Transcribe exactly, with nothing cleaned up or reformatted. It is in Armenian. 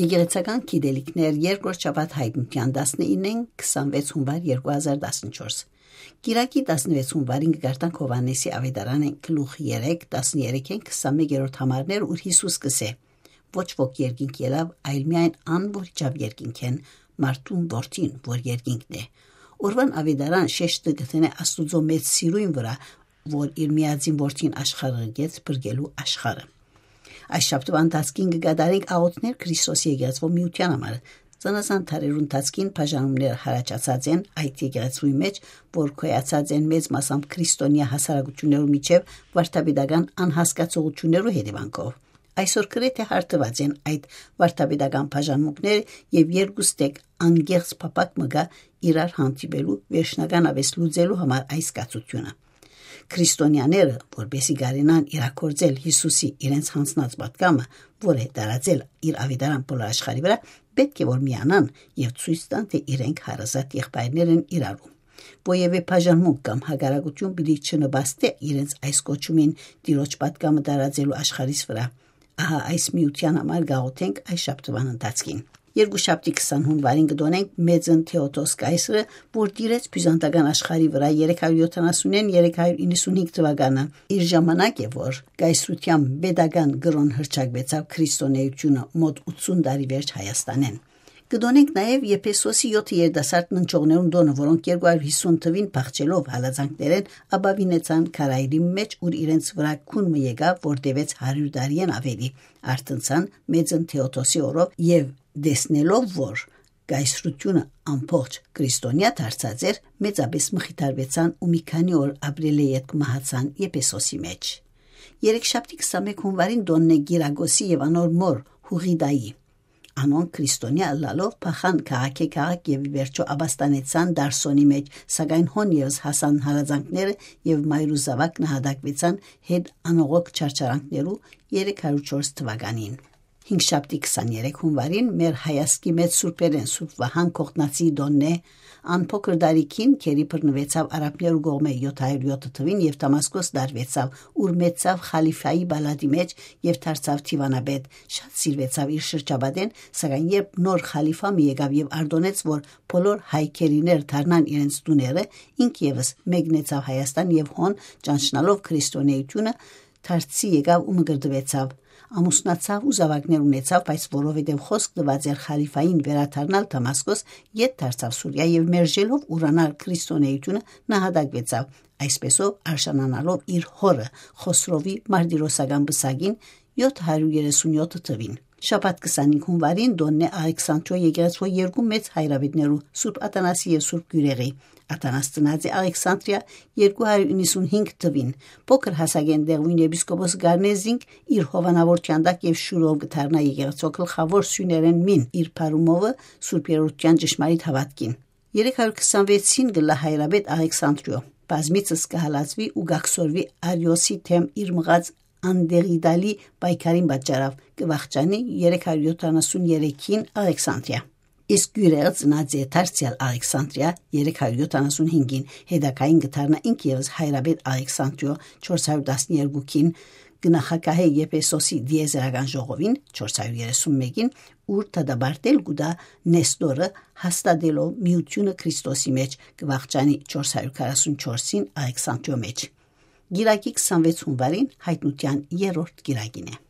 Եկեղեցական գիտելիքներ երկրորդ շաբաթ հայտնության տասնինը քսանվեց հունվար երկու հազար տասնչորս Կիրակի տասնվեց հունվարին կգարտանք Հովհաննեսի ավետարանեն գլուխ երեք տասներեքին քսանմեկերորդ համարներ ուր Հիսուս կսե ոչ ոք երկինք ելավ այլ միայն ան որ ճավ երկինք են մարդուն որդին որ երկինքն է Օրվան ավետարան շեշտը գտնե Աստուծո մեծ սիրույն վրա որ իր միածին որդին աշխարհը գեց բրգելու աշխարհը Այս շաբթվա ընթացքին կգադարենք աղոթներ Քրիստոսի եկեղեցու միության համար Ծանասան թարերուն ընթացքին բաժանումներ հարաճացած են այդ եկեղեցուի մեջ որ քոյացած են մեծ մասամբ քրիստոնյա հասարակություններու միջև վարդապետական անհասկացողություններու հետևանքով Այսօր գրեթե հարթված են այդ վարդապետական բաժանմունքները եւ երկուստեք անգեղծ փապակ մգա իրար հանդիպելու վերջնական ավես լուծելու համար այս կացությունը Քրիստոնյաները, որբեսի գարենան իրակորձել Հիսուսի իրենց հանձնած պատգամը, որ է տարածել իր ավետարան բոլոր աշխարհի վրա, պետք է որ միանան եւ ցույց տան, թե իրենք հարազատ եղբայրներ են իրարու։ Ոևէ բաժանմունք կամ հագարակություն պիտի չնպաստի իրենց այս կոչումին Տիրոջ պատգամը տարածելու աշխարհիս վրա։ Ահա այս միության համար գաղութենք այս շաբթվան ընթացքին։ Երկուշաբթի քսան հունվարին կդոնենք մեծն Թեոդոս կայսրը, որ դիրեց բյուզանդական աշխարհի վրա երեք հարյուր յոթանասունին երեք հարյուր իննսունհինգ թվականը։ Իր ժամանակ է, որ կայսրության pedagogan գրոն հրճակվեցավ քրիստոնեությունը մոտ ութսուն տարի վերջ Հայաստանեն։ Կդոնենք նաև Եփեսոսի յոթ երիտասարդ ննչողներուն դոնը, որոնք երկու հարյուր հիսուն թվին փախչելով հալածանքներեն աբավինեցան քարայրի մեջ, ուր իրենց վրա քունը եկավ, որ տևեց հարյուր տարին ավելի, արտնցան մեծն Թեոդոսի օրով եւ դեսնելով, որ կայսրությունը ամբողջ քրիստոնյա դարձած էր, մեծապես մխիթարվեցան ու մի քանի օր ապրել եք մահացան Եփեսոսի մեջ։ Երեքշաբթի քսանմեկ հունվարին դոնն է Գիրագոսի եւ անոր մոր Հուղիդայի Անոն քրիստոնյա լալով փախան քաղաքի քաղաք եւ վերջո աբաստանեցան Դարսոնի մեջ, սակայն հոն եւս հասան հալածանքները եւ մայրուզավակ նահատակվեցան հետ անողոք չարչարանքներու երեք հարյուր չորս թվականին։ Հինգշաբթի քսաներեք հունվարին մեր հայասկի մեծ սուրբերեն Սուրբ Վահան Կողտնացի դոննե անփոքր դարիքին քերի բռնվեցավ արաբներու գողմե յոթ հարյուր յոթ թվին եւ Դամասկոս դարվեցավ ուր մեծավ խալիֆայի բալադի մեջ եւ դարձավ Թիվանաբեդ շատ սիրվեցավ իր շրջաբադեն սակայն երբ նոր խալիֆա մի եկավ եւ արդոնեց որ բոլոր հայքերիներ դառնան իրենց տուները ինք եւս մեգնեցավ Հայաստան եւ հոն ճանչնալով քրիստոնեությունը դարձի եկավ ու մգրդվեցավ ամուսնացավ ու զավակներ ունեցավ, բայց որովհետև խոսք տված էր խալիֆային վերադառնալ Դամասկոս, ետ դարձավ Սուրիա եւ մերժելով ուրանալ քրիստոնեությունը նահատակվեցավ, այսպեսով արժանանալով իր հորը Խոսրովի մարտիրոսական բսակին յոթ հարյուր երեսունյոթ թվին։ Շաբաթ քսանհինգ հունվարին դոննե Ալեքսանդրիա եկեղեցու երկու մեծ հայրավետներու Սուրբ Աթանասի եւ Սուրբ Գյուրեղի Աթանաս ծնած է Ալեքսանդրիա երկու հարյուր իննսունհինգ թվին փոքր հասակեն դեղույն եպիսկոպոս Գարնեզինգ իր հովանավորության տակ եւ շուրով գտարնա եկեղեցու գլխավոր սյուներեն մին իր փարումովը Սուրբ Երրորդյան ճշմարիտ հավատքին երեք հարյուր քսանվեցին գլա հայրավետ Ալեքսանդրիա բազմիցս կհալածվի ու գաքսորվի Արիոսի թեմ իր մղած Անդերիդալի պայքարին պատճառով կվախճանի երեք հարյուր յոթանասուներեքին Ալեքսանդրիա իսկ Գյուրեղը ծնած է դարձյալ Ալեքսանդրիա երեք հարյուր յոթանասունհինգին հետակային գտարնա ինք եւս հայրաբեդ Ալեքսանդրիա չորս հարյուր տասներեքին գնահակահե Եփեսոսի դիեզերական ժողովին չորս հարյուր երեսունմեկին ուր տադաբարտել գուդա Նեստորը հաստատելով միությունը Քրիստոսի մեջ կվախճանի չորս հարյուր քառասունչորսին Ալեքսանդրիա մեջ Գիրակի քսանվեց հունվարին հայտնության երրորդ գիրակին է